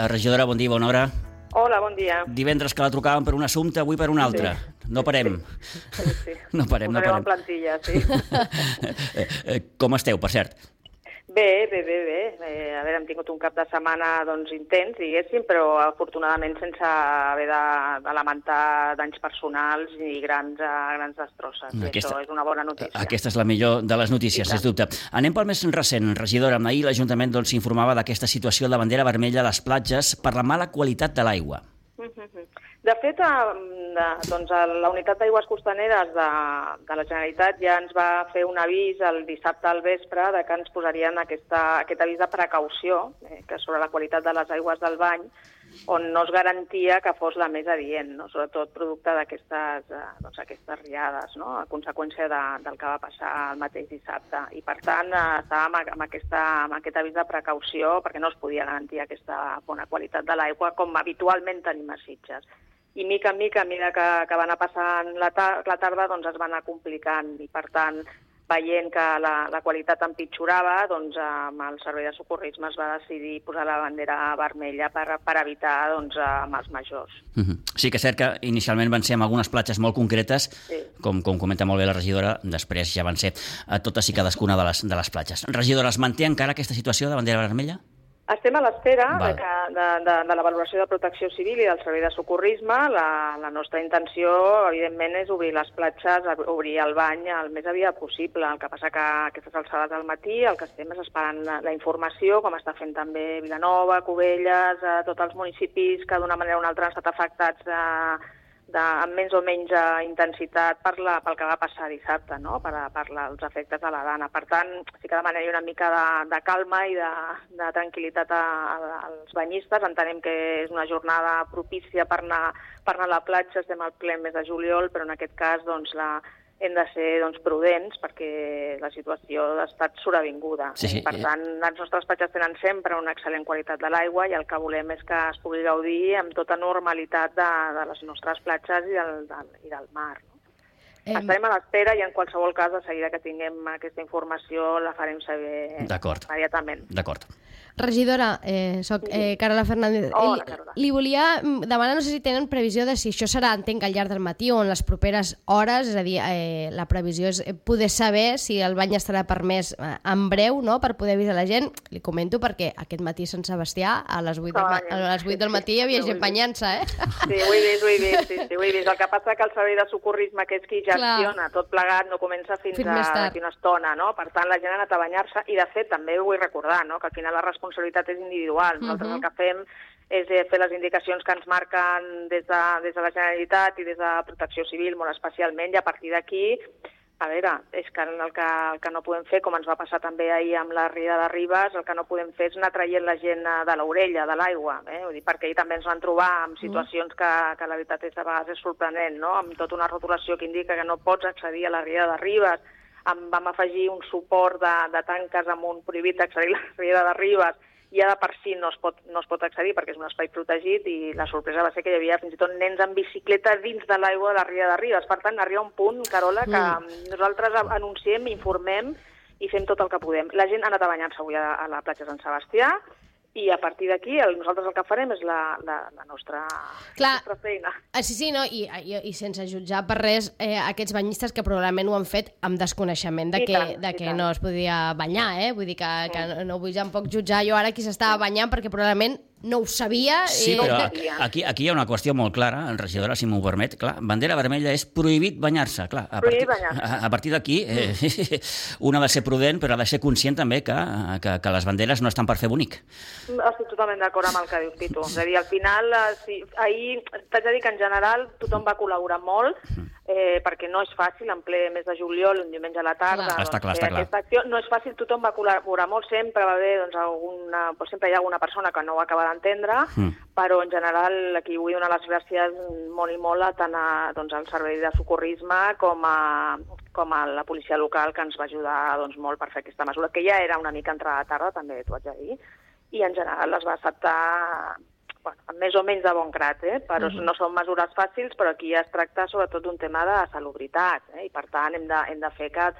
Regidora, bon dia, bona hora. Hola, bon dia. Divendres que la trucàvem per un assumpte, avui per un altre. No parem. Sí. No parem. Posarem en plantilla, sí. Com esteu, per cert? Bé. A veure, hem tingut un cap de setmana intens, diguéssim, però afortunadament sense haver de lamentar danys personals ni grans destrosses. Això és una bona notícia. Aquesta és la millor de les notícies, sens dubte. Anem pel més recent, regidora. Ahir l'Ajuntament s'informava d'aquesta situació de bandera vermella a les platges per la mala qualitat de l'aigua. De fet, la Unitat d'Aigües Costaneres de la Generalitat ja ens va fer un avís el dissabte al vespre que ens posarien aquest avís de precaució sobre la qualitat de les aigües del bany, on no es garantia que fos la més adient, sobretot producte d'aquestes riades, a conseqüència del que va passar el mateix dissabte. I, per tant, estàvem amb aquest avís de precaució perquè no es podia garantir aquesta bona qualitat de l'aigua com habitualment tenim a Sitges. I mica en mica, que va anar passant la tarda, es va anar complicant i, per tant, veient que la qualitat empitjorava, amb el Servei de Socorrisme es va decidir posar la bandera vermella per evitar amb els majors. Sí que és cert que inicialment van ser en algunes platges molt concretes, com comenta molt bé la regidora, després ja van ser a totes i cadascuna de les platges. Regidora, es manté encara aquesta situació de bandera vermella? Estem a l'espera de la valoració de Protecció Civil i del Servei de Socorrisme. La nostra intenció, evidentment, és obrir les platges, obrir el bany el més aviat possible. El que passa que a aquestes alçades del matí el que estem és esperant la informació, com està fent també Vilanova, Cubelles, tots els municipis que d'una manera o una altra han estat afectats amb més o menys intensitat pel que va passar dissabte, per els efectes de la dana. Per tant, sí que demanaria una mica de calma i de tranquil·litat als banyistes. Entenem que és una jornada propícia per anar a la platja, estem al ple mes de juliol, però en aquest cas hem de ser prudents perquè la situació ha estat sobrevinguda. Per tant, les nostres platges tenen sempre una excel·lent qualitat de l'aigua i el que volem és que es pugui gaudir amb tota normalitat de les nostres platges i del mar. Estarem a l'espera i en qualsevol cas, de seguida que tinguem aquesta informació, la farem saber immediatament. D'acord. Regidora, soc Carola Fernández. Hola, Carola. Li volia demanar, no sé si tenen previsió de si això serà, entenc, al llarg del matí o en les properes hores, és a dir, la previsió és poder saber si el bany estarà permès en breu, per poder avisar la gent. Li comento perquè aquest matí a Sant Sebastià, a les 8 del matí hi havia gent banyant-se, Sí, ho he vist. El que passa que el Servei de Socorrisme, que és qui gestiona tot plegat, no comença fins d'aquí una estona, Per tant, la gent ha anat a banyar-se i, de fet, també ho vull recordar, que al final la responsabilitat és individual. Nosaltres el que fem és fer les indicacions que ens marquen des de la Generalitat i des de Protecció Civil, molt especialment, i a partir d'aquí, a veure, és que el que no podem fer, com ens va passar també ahir amb la riada de Ribes, el que no podem fer és anar traient la gent de l'orella, de l'aigua, Vull dir, perquè ahir també ens van trobar en situacions que la veritat és a vegades és sorprenent, amb tota una rotulació que indica que no pots accedir a la riada de Ribes. Vam afegir un suport de tanques amb un prohibit accedir a la riada de Ribes i ja de per si no es pot accedir perquè és un espai protegit i la sorpresa va ser que hi havia fins i tot nens en bicicleta dins de l'aigua de la riada de Ribes. Per tant, arriba un punt, Carola, que nosaltres anunciem, informem i fem tot el que podem. La gent ha anat a banyar-se avui a la platja Sant Sebastià i a partir d'aquí nosaltres el que farem és la nostra feina. Sí, i sense jutjar per res aquests banyistes que probablement ho han fet amb desconeixement de que no es podia banyar, Vull dir que no vull tampoc jutjar jo ara qui s'estava banyant perquè probablement no ho sabia. Sí, però aquí hi ha una qüestió molt clara, regidora, si m'ho permet. Clar, bandera vermella és prohibit banyar-se. A partir d'aquí, un ha de ser prudent, però ha de ser conscient també que les banderes no estan per fer bonic. Estic totalment d'acord amb el que dius, Pitu. És a dir, al final, ahir t'haig de dir que en general tothom va col·laborar molt, perquè no és fàcil, en ple mes de juliol, un diumenge a la tarda, està clar. Aquesta acció no és fàcil, tothom va col·laborar molt, sempre va haver sempre hi ha alguna persona que no ho acaba d'entendre, però en general aquí vull donar les gràcies molt i molt tant al Servei de Socorrisme com a la policia local que ens va ajudar molt per fer aquesta mesura, que ja era una mica entrada a tarda, també t'ho haig de dir, i en general les va acceptar amb més o menys de bon grat, però no són mesures fàcils, però aquí es tracta sobretot d'un tema de salubritat, i per tant hem de fer que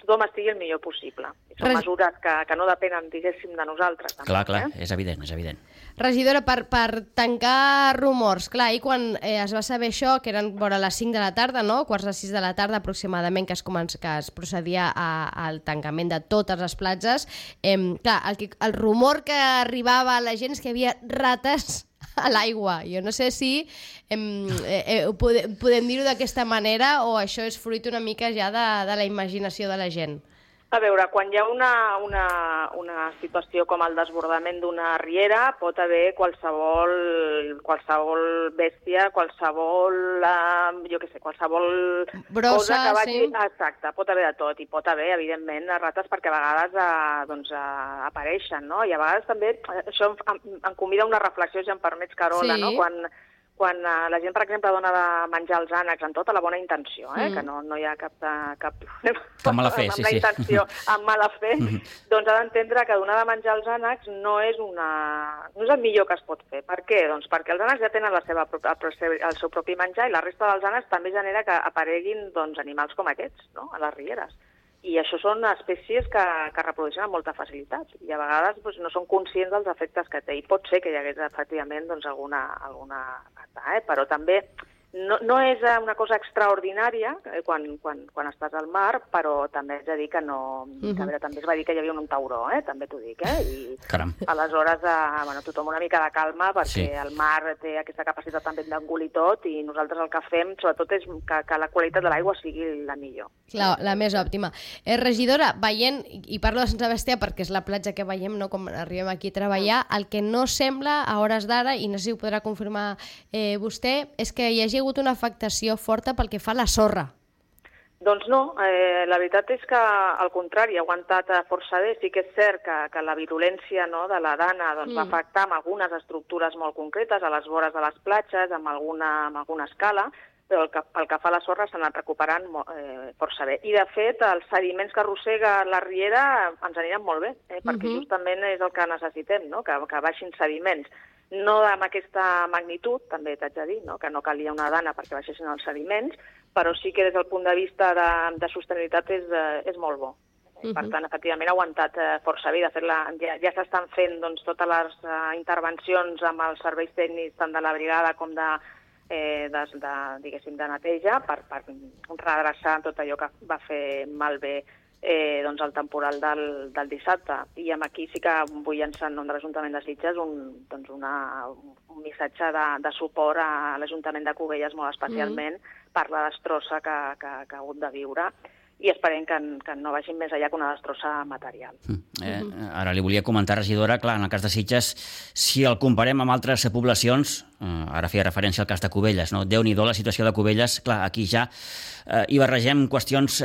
tothom estigui el millor possible. Són mesures que no depenen, diguéssim, de nosaltres. Clar, és evident, és evident. Regidora, per tancar rumors, clar, i quan es va saber això, que eren vora les 5 de la tarda, no? 5:45 de la tarda aproximadament, que es procedia al tancament de totes les platges, clar, el rumor que arribava a la gent és que hi havia rates a l'aigua. Jo no sé si podem dir-ho d'aquesta manera o això és fruit una mica ja de la imaginació de la gent. A veure, quan hi ha una situació com el desbordament d'una riera, pot haver qualsevol bèstia, qualsevol brossa, cosa que vagi... Sí. Exacte, pot haver de tot, i pot haver, evidentment, rates perquè a vegades apareixen, no? I a vegades també, això em convida a una reflexió, si em permets, Carola, sí. No? Quan la gent, per exemple, dona de menjar els ànecs amb tota la bona intenció, que no hi ha cap problema amb mala fe, amb la intenció, amb mala fe, doncs ha d'entendre que donar de menjar els ànecs no és el millor que es pot fer. Per què? Doncs perquè els ànecs ja tenen el seu propi menjar i la resta dels ànecs també genera que apareguin animals com aquests, no? A les rieres. I això són espècies que reprodueixen amb molta facilitat i a vegades no són conscients dels efectes que té. I pot ser que hi hagués efectivament alguna rata, però també no és una cosa extraordinària quan estàs al mar, però també haig de dir que no... Que a veure, també es va dir que hi havia un tauró, també t'ho dic, i Caram. Aleshores, tothom una mica de calma, perquè el mar té aquesta capacitat també d'engolir tot i nosaltres el que fem, sobretot, és que la qualitat de l'aigua sigui la millor. Clar, la més òptima. Regidora, veient, i parlo de Sant Sebastià perquè és la platja que veiem, no, com arribem aquí a treballar, el que no sembla a hores d'ara, i no sé si ho podrà confirmar vostè, és que hi hagi hagut una afectació forta pel que fa a la sorra. Doncs no, la veritat és que al contrari, ha aguantat força bé. Sí que és cert que la virulència de la dana va afectar amb algunes estructures molt concretes, a les vores de les platges, amb alguna escala, però pel que fa a la sorra s'ha anat recuperant força bé. I de fet, els sediments que arrossega la riera ens aniran molt bé, perquè justament és el que necessitem, no? Que baixin sediments. No amb aquesta magnitud, també t'haig de dir, que no calia una dana perquè baixessin els sediments, però sí que des del punt de vista de sostenibilitat és molt bo. Per tant, efectivament, ha aguantat força bé. De fet, ja s'estan fent totes les intervencions amb els serveis tècnics tant de la brigada com de neteja per redreçar tot allò que va fer malbé el temporal del dissabte. I aquí sí que vull llançar en nom de l'Ajuntament de Sitges un missatge de suport a l'Ajuntament de Cubelles, molt especialment, per la destrossa que ha hagut de viure, i esperem que no vagin més allà que una destrossa material. Ara li volia comentar, regidora, clar, en el cas de Sitges, si el comparem amb altres poblacions, ara feia referència al cas de Cubelles, no? Déu-n'hi-do la situació de Cubelles, clar, aquí ja hi barregem qüestions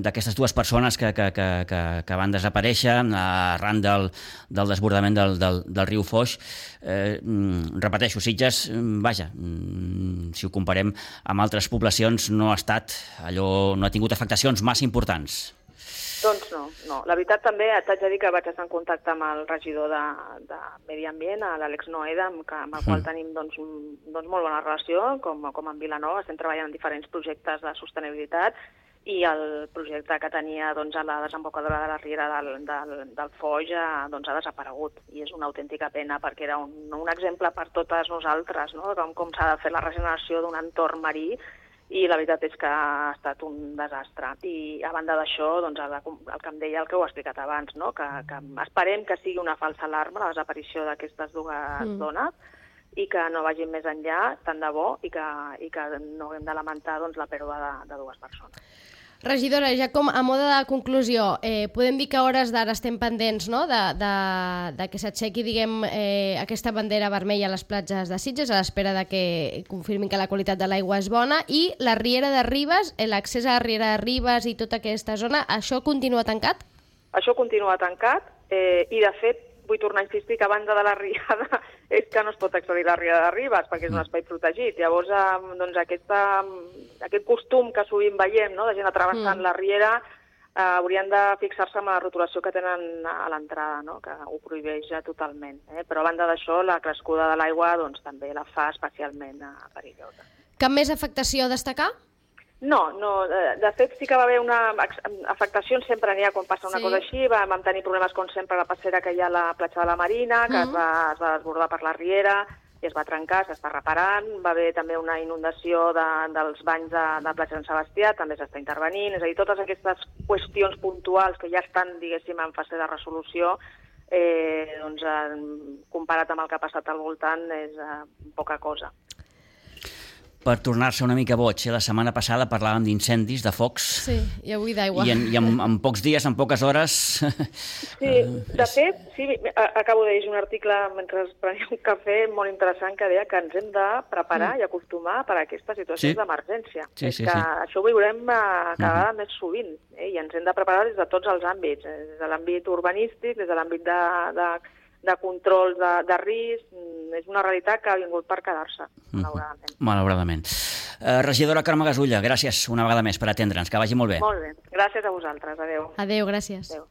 d'aquestes dues persones que van desaparèixer arran del desbordament del riu Foix. Repeteixo, Sitges, vaja, si ho comparem amb altres poblacions, no ha tingut afectacions massa importants. Doncs no. La veritat també t'haig de dir que vaig estar en contacte amb el regidor de Medi Ambient, l'Àlex Noeda, amb el qual tenim molt bona relació, com en Vilanova. Estem treballant en diferents projectes de sostenibilitat i el projecte que tenia a la desembocadura de la riera del Foix ha desaparegut. I és una autèntica pena perquè era un exemple per totes nosaltres, no? Com s'ha de fer la regeneració d'un entorn marí, i la veritat és que ha estat un desastre. I a banda d'això, el que em deia, el que ho he explicat abans, no? Que esperem que sigui una falsa alarma la desaparició d'aquestes dues dones i que no vagin més enllà, tant de bo, i que no haguem de lamentar la pèrdua de dues persones. Regidora, ja com a mode de conclusió, podem dir que a hores d'ara estem pendents, no?, de que s'aixequi, diguem, aquesta bandera vermella a les platges de Sitges, a l'espera de que confirmin que la qualitat de l'aigua és bona, i la Riera de Ribes, l'accés a la Riera de Ribes i tota aquesta zona, això continua tancat? Això continua tancat, i de fet vull tornar a insistir que a banda de la riada és que no es pot accedir a la Riera de Ribes perquè és un espai protegit. Llavors, aquest costum que sovint veiem, no?, de gent travessant la riera, haurien de fixar-se en la rotulació que tenen a l'entrada, no?, que ho prohibeix totalment. Però a banda d'això, la crescuda de l'aigua també la fa especialment perillosa. Cap més afectació a destacar? No, de fet sí que va haver una afectació, sempre n'hi ha quan passa una cosa així, vam tenir problemes com sempre a la passera que hi ha a la platja de la Marina, que es va desbordar per la riera i es va trencar, s'està reparant, va haver també una inundació dels banys de platja de Sant Sebastià, també s'està intervenint, és a dir, totes aquestes qüestions puntuals que ja estan, diguéssim, en fase de resolució, doncs, comparat amb el que ha passat al voltant, és poca cosa. Per tornar-se una mica boig, la setmana passada parlàvem d'incendis, de focs. Sí, i avui d'aigua. I en pocs dies, en poques hores... Sí, de fet, sí, acabo de llegir un article mentre prenia un cafè molt interessant que deia que ens hem de preparar i acostumar per a aquestes situacions d'emergència. És que això ho veurem cada vegada més sovint, i ens hem de preparar des de tots els àmbits, des de l'àmbit urbanístic, des de l'àmbit de control de risc, és una realitat que ha vingut per quedar-se, malauradament. Malauradament. Regidora Carme Gasulla, gràcies una vegada més per atendre'ns, que vagi molt bé. Molt bé, gràcies a vosaltres, adéu. Adéu, gràcies. Adéu.